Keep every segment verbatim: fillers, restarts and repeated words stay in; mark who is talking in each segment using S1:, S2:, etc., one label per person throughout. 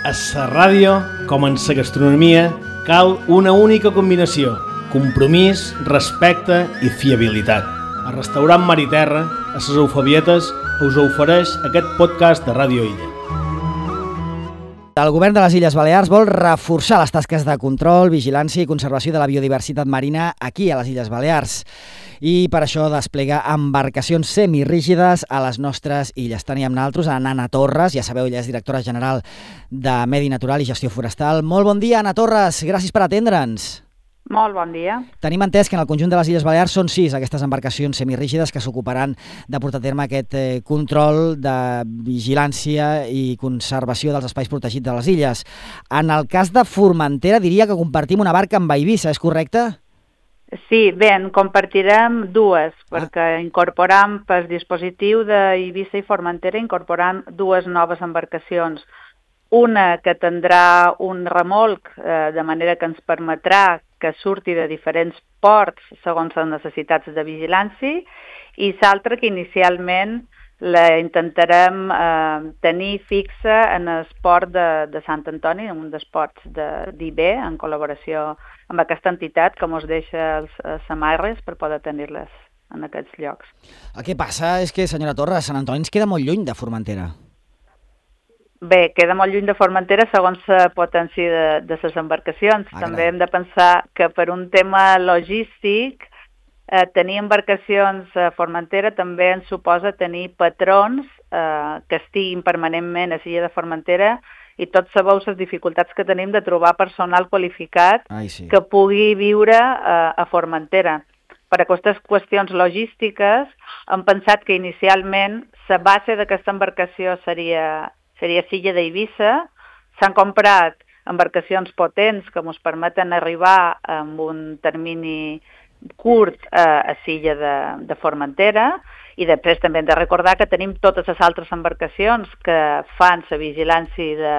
S1: A la ràdio, com en la gastronomia, cal una única combinació: compromís, respecte i fiabilitat. El restaurant Mar i Terra, a les Eufebietes, us ofereix aquest podcast de Ràdio Illa.
S2: El govern de les Illes Balears vol reforçar les tasques de control, vigilància i conservació de la biodiversitat marina aquí a les Illes Balears. I per això desplega embarcacions semirígides a les nostres illes. Tenim amb nosaltres a Anna Torres, ja sabeu, ella és directora general de Medi Natural i Gestió Forestal. Molt bon dia, Anna Torres, gràcies per atendre'ns.
S3: Molt bon dia.
S2: Tenim entès que en el conjunt de les Illes Balears són sis aquestes embarcacions semirígides que s'ocuparan de portar a terme aquest eh, control de vigilància i conservació dels espais protegits de les illes. En el cas de Formentera diria que compartim una barca amb Eivissa, és correcte?
S3: Sí, bé, en compartirem dues, ah. perquè incorporam pel dispositiu d'Eivissa i Formentera incorporam dues noves embarcacions. Una que tindrà un remolc, eh, de manera que ens permetrà que surti de diferents ports segons les necessitats de vigilància, i l'altra que inicialment la intentarem eh, tenir fixa en el port de, de Sant Antoni, en un dels ports d'I B, en col·laboració amb aquesta entitat que ens deixa els, els samarres per poder tenir-les en aquests llocs.
S2: El que passa és que, senyora Torres, Sant Antoni ens queda molt lluny de Formentera.
S3: Bé, queda molt lluny de Formentera segons la potència de, de les embarcacions. Ah, També hem de pensar que per un tema logístic eh, tenir embarcacions a Formentera també ens suposa tenir patrons eh, que estiguin permanentment a l'illa de Formentera, i tots sabeu les dificultats que tenim de trobar personal qualificat
S2: Ai, sí.
S3: que pugui viure eh, a Formentera. Per aquestes qüestions logístiques hem pensat que inicialment la base d'aquesta embarcació seria seria l'illa d'Eivissa. S'han comprat embarcacions potents que ens permeten arribar en un termini curt a, a l'illa de, de Formentera, i després també hem de recordar que tenim totes les altres embarcacions que fan la vigilància de,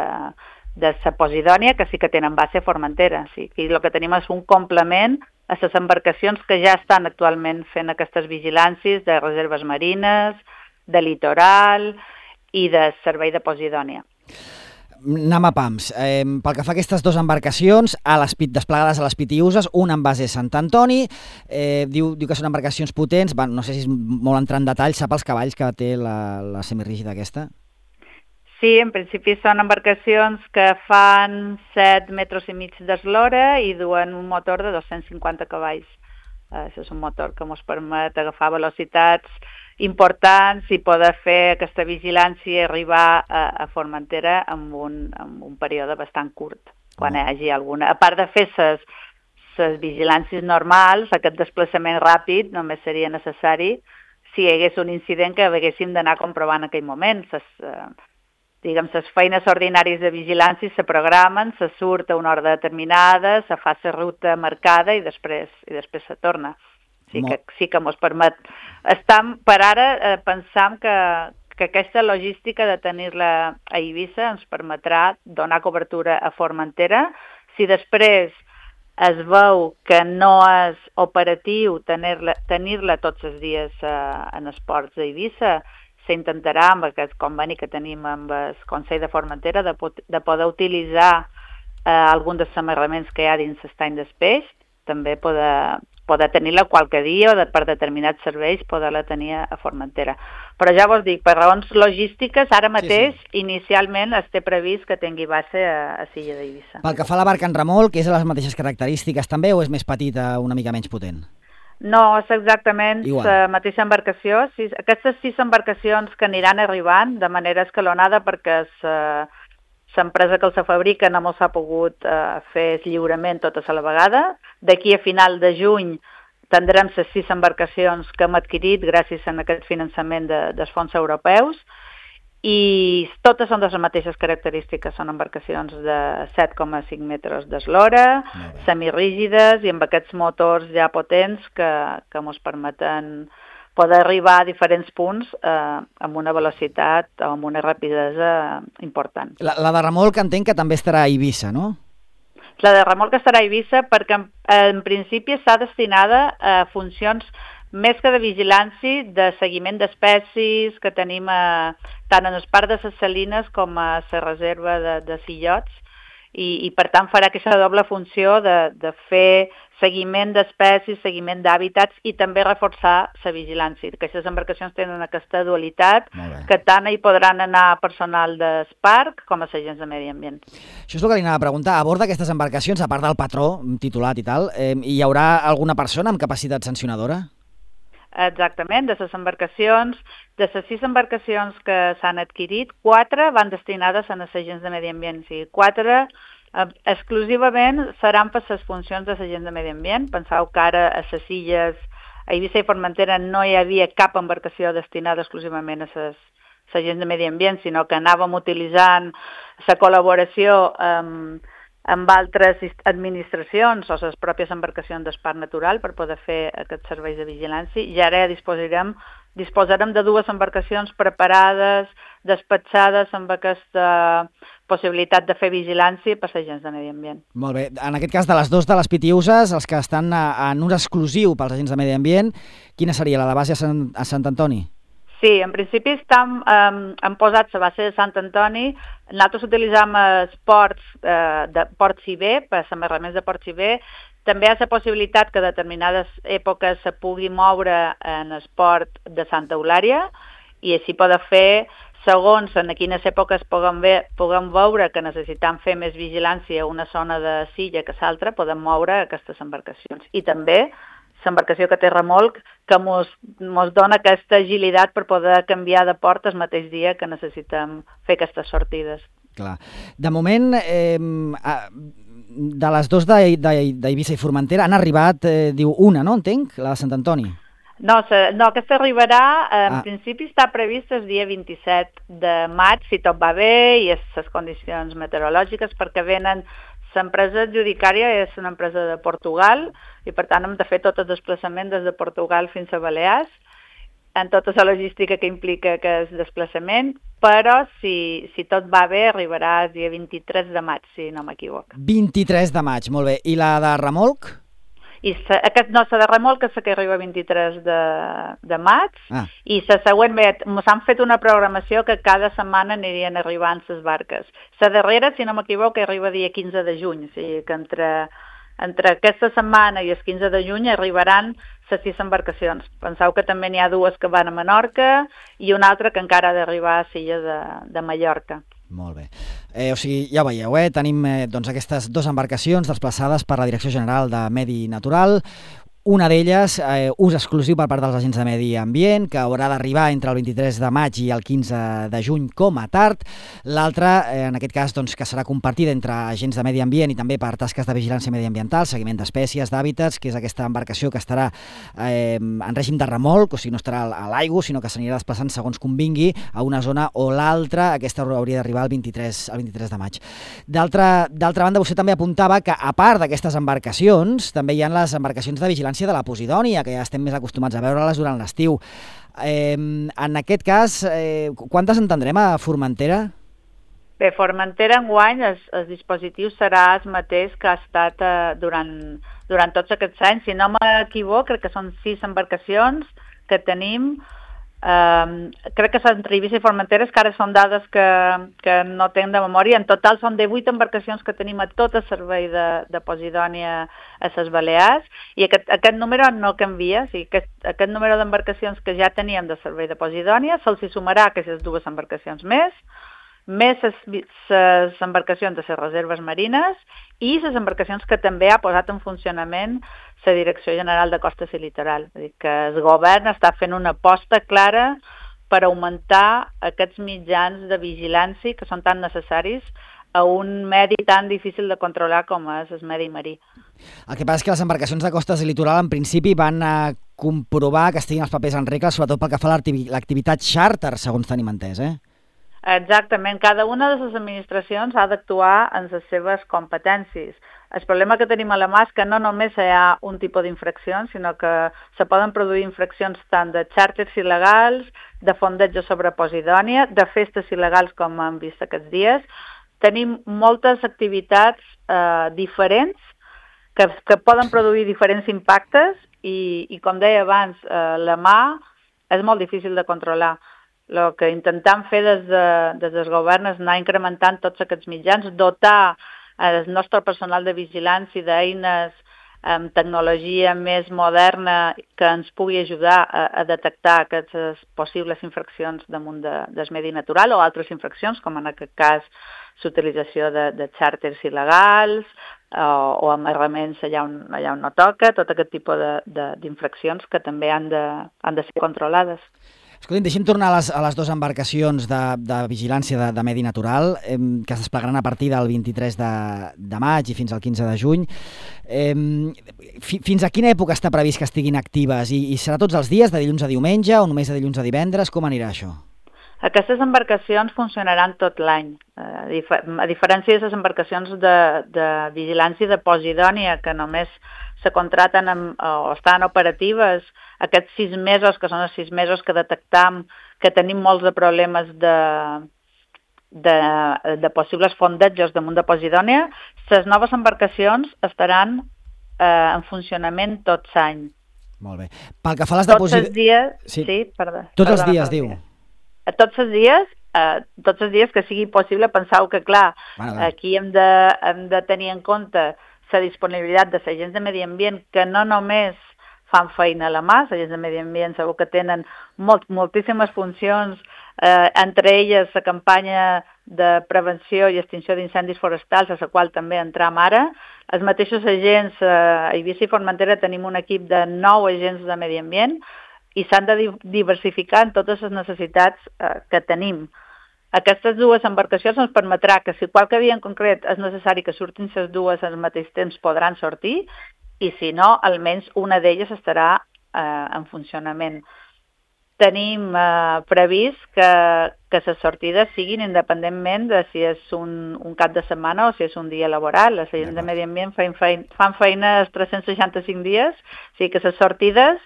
S3: de la Posidònia, que sí que tenen base a Formentera. Sí, i el que tenim és un complement a les embarcacions que ja estan actualment fent aquestes vigilàncies de reserves marines, de litoral i de servei de Posidònia.
S2: Anem a pams. Eh, pel que fa a aquestes dues embarcacions, a l'Espit, desplegades a l'Espit i Uses, una en base a Sant Antoni, eh, diu, diu que són embarcacions potents, bueno, no sé si és molt entrar en detall, sap els cavalls que té la, la semirígida aquesta?
S3: Sí, en principi són embarcacions que fan set metres i mig d'eslora i duen un motor de dos-cents cinquanta cavalls. Eh, això és un motor que ens permet agafar velocitats importants i poder fer aquesta vigilància i arribar a, a Formentera en un, en un període bastant curt, quan hi hagi alguna. A part de fer les, les vigilàncies normals, aquest desplaçament ràpid només seria necessari si hi hagués un incident que haguéssim d'anar comprovant en aquell moment. Les, eh, diguem, les feines ordinàries de vigilància se programen, se surt a una hora determinada, se fa la ruta marcada i després, i després se torna. Sí que, sí que ens permet. Estam, per ara eh, pensam que, que aquesta logística de tenir-la a Eivissa ens permetrà donar cobertura a Formentera. Si després es veu que no és operatiu tenir-la tenir-la tots els dies eh, en els ports d'Eivissa, s'intentarà amb aquest conveni que tenim amb el Consell de Formentera de, de poder utilitzar eh, algun dels amarraments que hi ha dins l'estany del peix, també poder poder tenir-la qualque dia o de, per determinats serveis poder-la tenir a Formentera. Però ja vos dic, per raons logístiques, ara mateix, sí, sí. inicialment es té previst que tingui base a, a l'illa d'Eivissa.
S2: Pel que fa a la barca en remolc, és de les mateixes característiques també o és més petita, una mica menys potent?
S3: No, és exactament la mateixa embarcació. Sis, aquestes sis embarcacions que aniran arribant de manera escalonada perquè l'empresa que els fabrica no mos ha pogut eh, fer el lliurament totes a la vegada. D'aquí a final de juny tindrem les sis embarcacions que hem adquirit gràcies a aquest finançament de, dels fons europeus, i totes són de les mateixes característiques. Són embarcacions de set coma cinc metres d'eslora, semirígides i amb aquests motors ja potents que, que ens permeten poder arribar a diferents punts eh, amb una velocitat o amb una rapidesa important.
S2: La, la de remolc entenc que també estarà a Eivissa, no?
S3: La de remolc estarà a Eivissa perquè en, en principi està destinada a funcions més que de vigilància, de seguiment d'espècies que tenim a, tant en el parc de les Salines com a la reserva de, de Sillots, i, i per tant farà aquesta doble funció de, de fer seguiment d'espècies, seguiment d'hàbitats i també reforçar la vigilància. Aquestes embarcacions tenen aquesta dualitat que tant hi podran anar personal del parc com a agents de medi ambient.
S2: Això és el que li anava a preguntar. A bord d'aquestes embarcacions, a part del patró titulat i tal, eh, hi haurà alguna persona amb capacitat sancionadora?
S3: Exactament, de les embarcacions, de les sis embarcacions que s'han adquirit, quatre van destinades a els agents de medi ambient, o sigui, quatre eh, exclusivament seran per les funcions de agents de medi ambient. Penseu que ara a les illes, a Eivissa i Formentera, no hi havia cap embarcació destinada exclusivament a les agents de medi ambient, sinó que anàvem utilitzant la col·laboració amb amb altres administracions o les pròpies embarcacions del Parc Natural per poder fer aquests serveis de vigilància. I ara disposarem, disposarem de dues embarcacions preparades, despatxades amb aquesta possibilitat de fer vigilància per als agents de medi ambient.
S2: Molt bé. En aquest cas, de les dues de les Pitiüses, els que estan en ús exclusiu pels agents de medi ambient, quina seria, la de base a Sant, a Sant Antoni?
S3: Sí, en principi estan, eh, han posat la base de Sant Antoni. Nosaltres utilitzem els ports eh, de Port Ciber, per als amarraments de Port Ciber. També hi ha la possibilitat que a determinades èpoques se pugui moure en el port de Santa Eulària i així poden fer, segons en quines èpoques puguem, ve, puguem veure que necessitem fer més vigilància a una zona de Silla que l'altra, podem moure aquestes embarcacions. I també l'embarcació que té remolc, que mos, mos dona aquesta agilitat per poder canviar de port el mateix dia que necessitem fer aquestes sortides. Clar.
S2: De moment, eh, de les dues d'Eivissa i Formentera han arribat, eh, diu, una, no? Entenc? La de Sant Antoni.
S3: No, se, no aquesta arribarà, en ah. principi està previst el dia vint-i-set de maig, si tot va bé i les condicions meteorològiques, perquè venen. L'empresa adjudicària és una empresa de Portugal i per tant hem de fer tot el desplaçament des de Portugal fins a Balears, en tota la logística que implica aquest desplaçament, però si, si tot va bé arribarà el dia vint-i-tres de maig, si no m'equivoco.
S2: vint-i-tres de maig, molt bé. I la de remolc?
S3: I sa, aquest, no, la de remolc és la que arriba el vint-i-tres de, de maig, ah. i la següent, bé, s'han fet una programació que cada setmana anirien arribant les barques. La darrera, si no m'equivoco, arriba dia quinze de juny, o sigui que entre, entre aquesta setmana i el quinze de juny arribaran les sis embarcacions. Penseu que també n'hi ha dues que van a Menorca i una altra que encara ha d'arribar a Silla de, de Mallorca.
S2: Molt bé. Eh, o sigui, ja ho veieu, eh? Tenim eh, doncs, aquestes dues embarcacions desplaçades per la Direcció General de Medi Natural. Una d'elles, eh, ús exclusiu per part dels agents de medi ambient, que haurà d'arribar entre el vint-i-tres de maig i el quinze de juny com a tard. L'altra, eh, en aquest cas, doncs, que serà compartida entre agents de medi ambient i també per tasques de vigilància mediambiental, seguiment d'espècies, d'hàbitats, que és aquesta embarcació que estarà eh, en règim de remolc, o sigui, no estarà a l'aigua, sinó que s'anirà desplaçant segons convingui a una zona o l'altra. Aquesta hauria d'arribar el vint-i-tres de maig. D'altra banda, vostè també apuntava que, a part d'aquestes embarcacions, també hi ha les embarcacions de vigilància de la Posidònia, que ja estem més acostumats a veure-les durant l'estiu. Eh, en aquest cas, eh, quantes en tindrem a Formentera?
S3: Bé, Formentera enguany el, el dispositiu serà el mateix que ha estat eh, durant, durant tots aquests anys. Si no m'equivoco, crec que són sis embarcacions que tenim. Um, crec que entre Eivissa i Formentera, que ara són dades que, que no tenc de memòria. En total són de vuit embarcacions que tenim a tot el servei de, de Posidònia a les Balears, i aquest, aquest número no canvia. O sigui, aquest, aquest número d'embarcacions que ja teníem de servei de Posidònia se'ls hi sumarà aquestes dues embarcacions més, més les embarcacions de les reserves marines i les embarcacions que també ha posat en funcionament la Direcció General de Costes i Litoral. És a dir, que el govern està fent una aposta clara per augmentar aquests mitjans de vigilància que són tan necessaris a un medi tan difícil de controlar com és el medi marí.
S2: El que passa és que les embarcacions de costes i litoral en principi van a comprovar que estiguin els papers en regla, sobretot pel que fa a l'activitat xàrter, segons tenim entès, eh?
S3: Exactament. Cada una de les administracions ha d'actuar en les seves competències. El problema que tenim a la mà és que no només hi ha un tipus d'infraccions, sinó que se poden produir infraccions tant de xàrters il·legals, de fondeig sobre Posidònia, de festes il·legals, com hem vist aquests dies. Tenim moltes activitats eh, diferents que, que poden produir diferents impactes i, i com deia abans, eh, la mà és molt difícil de controlar. El que intentem fer des, de, des del govern és anar incrementant tots aquests mitjans, dotar el nostre personal de vigilància d'eines amb tecnologia més moderna que ens pugui ajudar a, a detectar aquestes possibles infraccions damunt de, del medi natural o altres infraccions, com en aquest cas l'utilització de, de xàrters il·legals o, o amarraments allà on, allà on no toca, tot aquest tipus d'infraccions que també han de, han de ser controlades.
S2: Escolti'm, deixem tornar a les, a les dues embarcacions de, de vigilància de, de medi natural eh, que es desplegaran a partir del vint-i-tres de, de maig i fins al quinze de juny. Eh, fi, fins a quina època està previst que estiguin actives? I, I serà tots els dies, de dilluns a diumenge o només de dilluns a divendres? Com anirà això?
S3: Aquestes embarcacions funcionaran tot l'any. A, dif a diferència de les embarcacions de, de vigilància de Posidònia, que només se contraten amb, o estan operatives aquests sis mesos, que són els sis mesos que detectam que tenim molts de problemes de, de, de possibles fondejos damunt de Posidònia, les noves embarcacions estaran eh, en funcionament tot l'any.
S2: Molt bé. Pel que fa a les de Posidònia...
S3: Tots els dies... Sí, sí perdó.
S2: Tots
S3: perdona,
S2: els dies,
S3: perdona.
S2: diu.
S3: Tots els dies, eh, tots els dies que sigui possible, penseu que, clar, bueno, aquí hem de, hem de tenir en compte la disponibilitat de l'agents de medi ambient, que no només fan feina a la mà, els agents de medi ambient segur que tenen molt, moltíssimes funcions, eh, entre elles la campanya de prevenció i extinció d'incendis forestals, a la qual també entram ara. Els mateixos agents, eh, a Eivissa i Formentera tenim un equip de nou agents de medi ambient, i s'han de diversificar en totes les necessitats eh, que tenim. Aquestes dues embarcacions ens permetrà que si qualque dia en concret és necessari que surtin les dues al mateix temps podran sortir i si no, almenys una d'elles estarà eh, en funcionament. Tenim eh, previst que, que les sortides siguin independentment de si és un, un cap de setmana o si és un dia laboral. Les agents de medi ambient fan feina, fan feina els tres-cents seixanta-cinc dies, o sigui que les sortides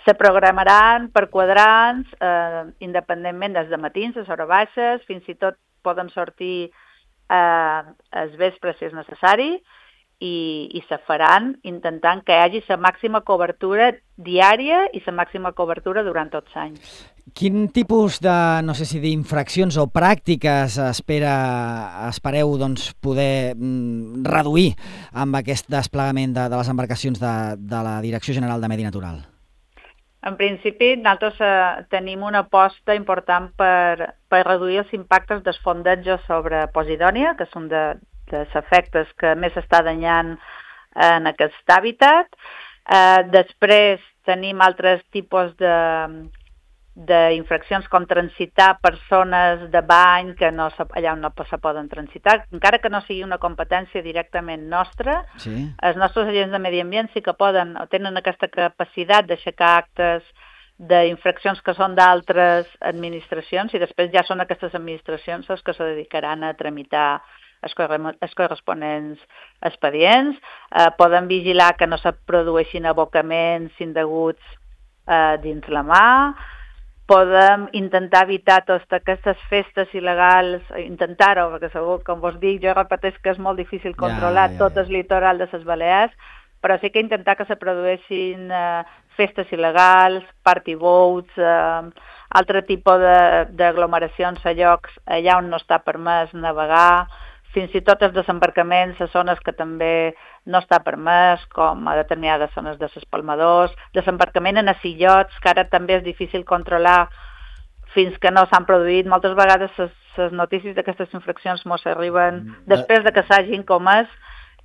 S3: se programaran per quadrants, eh, independentment des de matins, les hores baixes, fins i tot poden sortir eh, els vespres si és necessari, i, i se faran intentant que hi hagi la màxima cobertura diària i la màxima cobertura durant tot l'any.
S2: Quin tipus de, no sé si d'infraccions o pràctiques espera, espereu doncs, poder mm, reduir amb aquest desplegament de, de les embarcacions de, de la Direcció General de Medi Natural?
S3: En principi, nosaltres eh, tenim una aposta important per, per reduir els impactes dels fondejos sobre Posidònia, que són de, dels efectes que més s'està danyant en aquest hàbitat. Eh, després tenim altres tipus de d'infraccions com transitar persones de bany que no, allà on no se poden transitar, encara que no sigui una competència directament nostra, sí. Els nostres agents de medi ambient sí que poden o tenen aquesta capacitat d'aixecar actes d'infraccions que són d'altres administracions i després ja són aquestes administracions les que se dedicaran a tramitar els corresponents expedients, eh, poden vigilar que no se produeixin abocaments indeguts eh, dins la mà, podem intentar evitar totes aquestes festes il·legals, intentar-ho, perquè segur, com vos dic, jo repeteix que és molt difícil controlar ja, ja, ja. tot el litoral de les Balears, però sí que intentar que se produeixin eh, festes il·legals, party boats, eh, altre tipus d'aglomeracions a llocs allà on no està permès navegar, fins i tot els desembarcaments a zones que també no està permès, com a determinades zones de s'espalmadors, desembarcament en asillots, que ara també és difícil controlar fins que no s'han produït. Moltes vegades les notícies d'aquestes infraccions mos arriben després de que s'hagin comès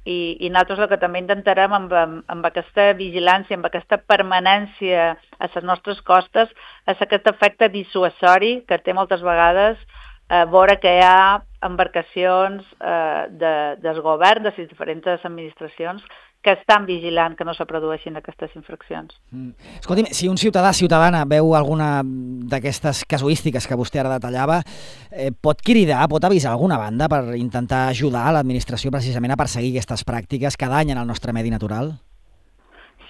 S3: i, i nosaltres el que també intentarem amb, amb, amb aquesta vigilància, amb aquesta permanència a les nostres costes, és aquest efecte dissuasori que té moltes vegades a veure que hi ha embarcacions eh, de, del govern, de les diferents administracions, que estan vigilant que no se produeixin aquestes infraccions.
S2: Mm. Escolti'm, si un ciutadà, ciutadana, veu alguna d'aquestes casuístiques que vostè ara detallava, eh, pot cridar, pot avisar alguna banda per intentar ajudar l'administració precisament a perseguir aquestes pràctiques que danyen el nostre medi natural?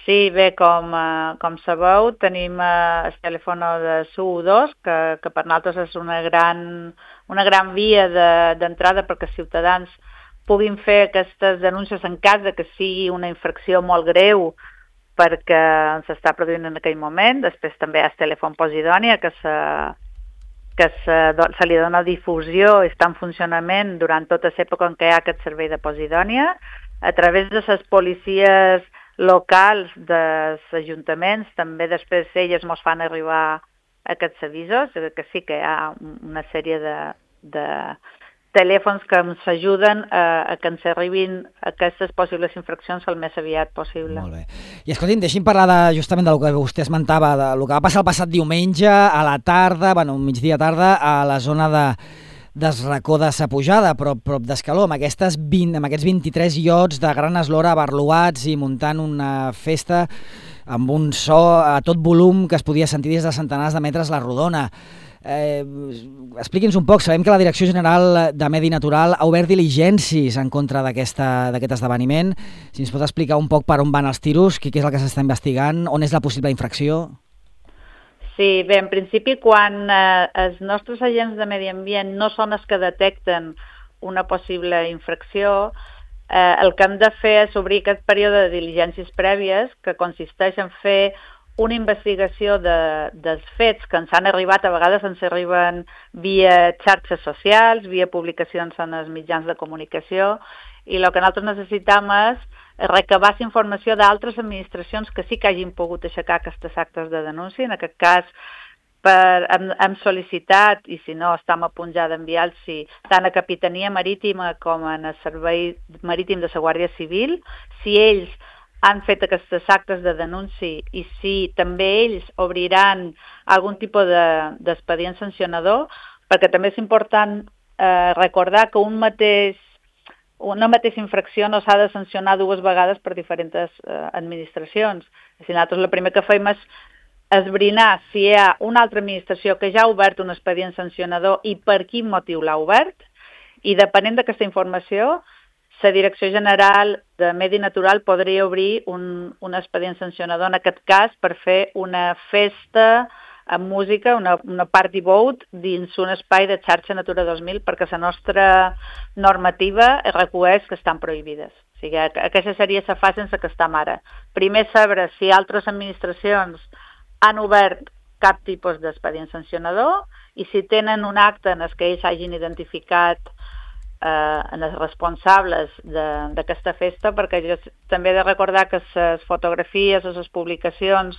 S3: Sí, bé, com, eh, com sabeu, tenim eh, el telèfon de S U dos, que, que per nosaltres és una gran, una gran via d'entrada de, perquè els ciutadans puguin fer aquestes denúncies en cas de que sigui una infracció molt greu perquè s'està produint en aquell moment. Després també hi ha el telèfon Posidònia, que, se, que se, se li dona difusió i està en funcionament durant tota l'època en què hi ha aquest servei de Posidònia, a través de les policies locals dels ajuntaments. També després elles ens fan arribar aquests avisos, que sí que hi ha una sèrie de, de telèfons que ens ajuden a, a que ens arribin aquestes possibles infraccions el més aviat possible.
S2: Molt bé. I escolti'm, deixi'm parlar de, justament del que vostè esmentava, del que va passar el passat diumenge a la tarda, bueno, migdia tarda, a la zona de del racó de Sa Pujada, prop, prop d'Escaló, amb, aquestes vint, amb aquests vint-i-tres iots de gran eslora abarluats i muntant una festa amb un so a tot volum que es podia sentir des de centenars de metres la rodona. Eh, expliqui'ns un poc, sabem que la Direcció General de Medi Natural ha obert diligències en contra d'aquest esdeveniment. Si ens pot explicar un poc per on van els tiros, què és el que s'està investigant, on és la possible infracció?
S3: Sí, bé, en principi, quan eh, els nostres agents de medi ambient no són els que detecten una possible infracció, eh, el que hem de fer és obrir aquest període de diligències prèvies, que consisteix en fer una investigació de, dels fets que ens han arribat, a vegades ens arriben via xarxes socials, via publicacions en els mitjans de comunicació, i el que nosaltres necessitem és recabar informació d'altres administracions que sí que hagin pogut aixecar aquestes actes de denúncia. En aquest cas, per, hem, hem sol·licitat, i si no estem a punt ja d'enviar-los tant a Capitania Marítima com a Servei Marítim de la Guàrdia Civil, si ells han fet aquests actes de denúncia i si també ells obriran algun tipus d'expedient de, sancionador, perquè també és important eh, recordar que un mateix, una mateixa infracció no s'ha de sancionar dues vegades per diferents eh, administracions. Si nosaltres el primer que fem és esbrinar si hi ha una altra administració que ja ha obert un expedient sancionador i per quin motiu l'ha obert, i depenent d'aquesta informació, la Direcció General de Medi Natural podria obrir un, un expedient sancionador, en aquest cas, per fer una festa amb música, una, una party boat dins un espai de xarxa Natura dos mil, perquè la nostra normativa recueix que estan prohibides. O sigui, aquesta seria la fase en què estem ara. Primer saber si altres administracions han obert cap tipus d'expedient sancionador i si tenen un acte en el que ells hagin identificat eh, en els responsables d'aquesta festa, perquè jo també he de recordar que les fotografies o les publicacions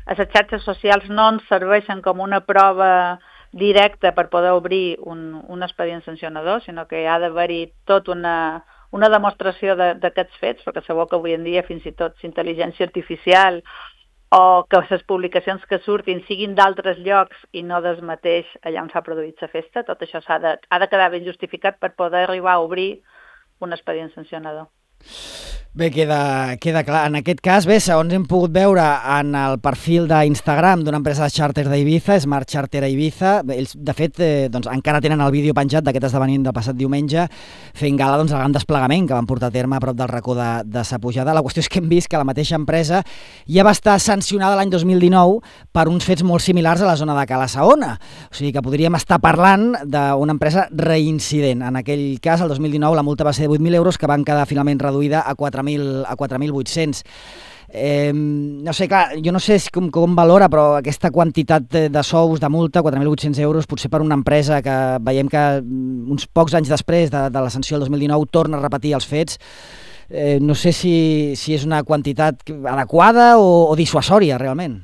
S3: a les xarxes socials no ens serveixen com una prova directa per poder obrir un, un expedient sancionador, sinó que hi ha d'haver-hi tot una, una demostració d'aquests fets, perquè sabeu que avui en dia fins i tot intel·ligència artificial o que les publicacions que surtin siguin d'altres llocs i no del mateix allà on s'ha produït la festa, tot això ha de, ha de quedar ben justificat per poder arribar a obrir un expedient sancionador.
S2: Bé, queda, queda clar. En aquest cas, bé, segons hem pogut veure en el perfil d'Instagram d'una empresa de xàrter d'Ibiza, Smart Charter a Ibiza, bé, ells, de fet, eh, doncs, encara tenen el vídeo penjat d'aquest esdeveniment del passat diumenge, fent gala doncs, el gran desplegament que van portar a terme a prop del racó de, de Sa Pujada. La qüestió és que hem vist que la mateixa empresa ja va estar sancionada l'any dos mil dinou per uns fets molt similars a la zona de Cala Saona. O sigui que podríem estar parlant d'una empresa reincident. En aquell cas, el dos mil dinou, la multa va ser de vuit mil euros, que van quedar finalment reduïda a quatre mil vuit-cents. Eh, no sé, clar, jo no sé com, com valora, però aquesta quantitat de, de sous, de multa, quatre mil vuit-cents euros, potser per una empresa que veiem que uns pocs anys després de, de la sanció del dos mil dinou torna a repetir els fets, eh, no sé si, si és una quantitat adequada o, o dissuasòria, realment.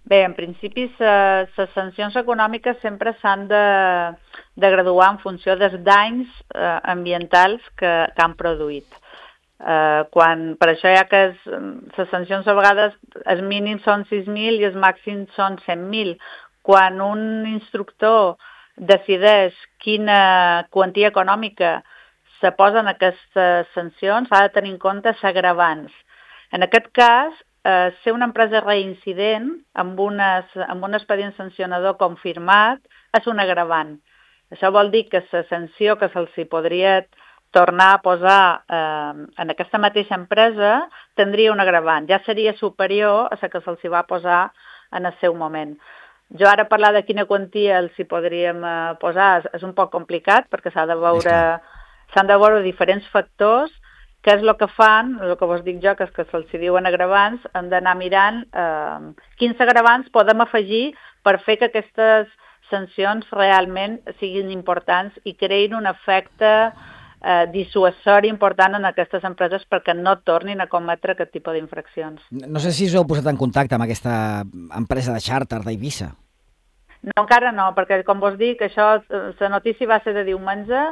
S3: Bé, en principi, les sancions econòmiques sempre s'han de, de graduar en funció dels danys eh, ambientals que, que han produït. Uh, quan, per això hi ha que es, les sancions a vegades els mínims són sis mil i els màxims són cent mil. Quan un instructor decideix quina quantia econòmica se posa en aquestes sancions, ha de tenir en compte els agravants. En aquest cas, uh, ser una empresa reincident amb, unes, amb un expedient sancionador confirmat és un agravant. Això vol dir que la sanció que se'ls podria tornar a posar eh, en aquesta mateixa empresa tindria un agravant. Ja seria superior a la que se'ls va posar en el seu moment. Jo ara parlar de quina quantia els hi podríem eh, posar és, és un poc complicat perquè s'ha de veure, s'han de veure diferents factors què és el que fan, el que vos dic jo, que és que se'ls diuen agravants, hem d'anar mirant eh, quins agravants podem afegir per fer que aquestes sancions realment siguin importants i creïn un efecte eh, dissuasori important en aquestes empreses perquè no tornin a cometre aquest tipus d'infraccions.
S2: No sé si us heu posat en contacte amb aquesta empresa de xàrter d'Eivissa.
S3: No, encara no, perquè com vos dic, això, la notícia va ser de diumenge,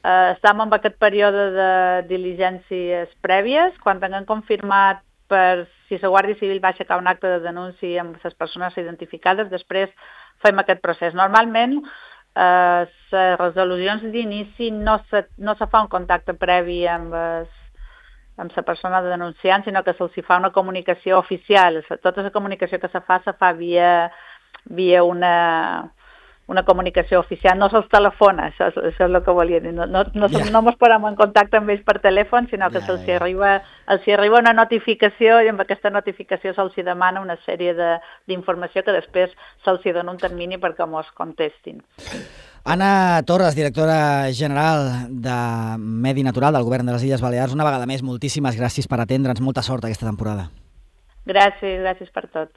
S3: eh, estem en aquest període de diligències prèvies, quan tinguem confirmat per si la Guàrdia Civil va aixecar un acte de denúncia amb les persones identificades, després fem aquest procés. Normalment, eh, les resolucions d'inici no se, no se fa un contacte previ amb les, amb la persona denunciant, sinó que se'ls fa una comunicació oficial. Tota la comunicació que se fa, se fa via, via una, una comunicació oficial, no se'ls telefona, això, això és el que volia dir. No, no, no, yeah. no ens posem en contacte amb ells per telèfon, sinó que yeah, se'ls yeah. arriba, els arriba una notificació i amb aquesta notificació se'ls demana una sèrie d'informació que després se'ls dona un termini perquè mos contestin.
S2: Anna Torres, directora general de Medi Natural del Govern de les Illes Balears, una vegada més, moltíssimes gràcies per atendre'ns, molta sort aquesta temporada.
S3: Gràcies, gràcies per tot.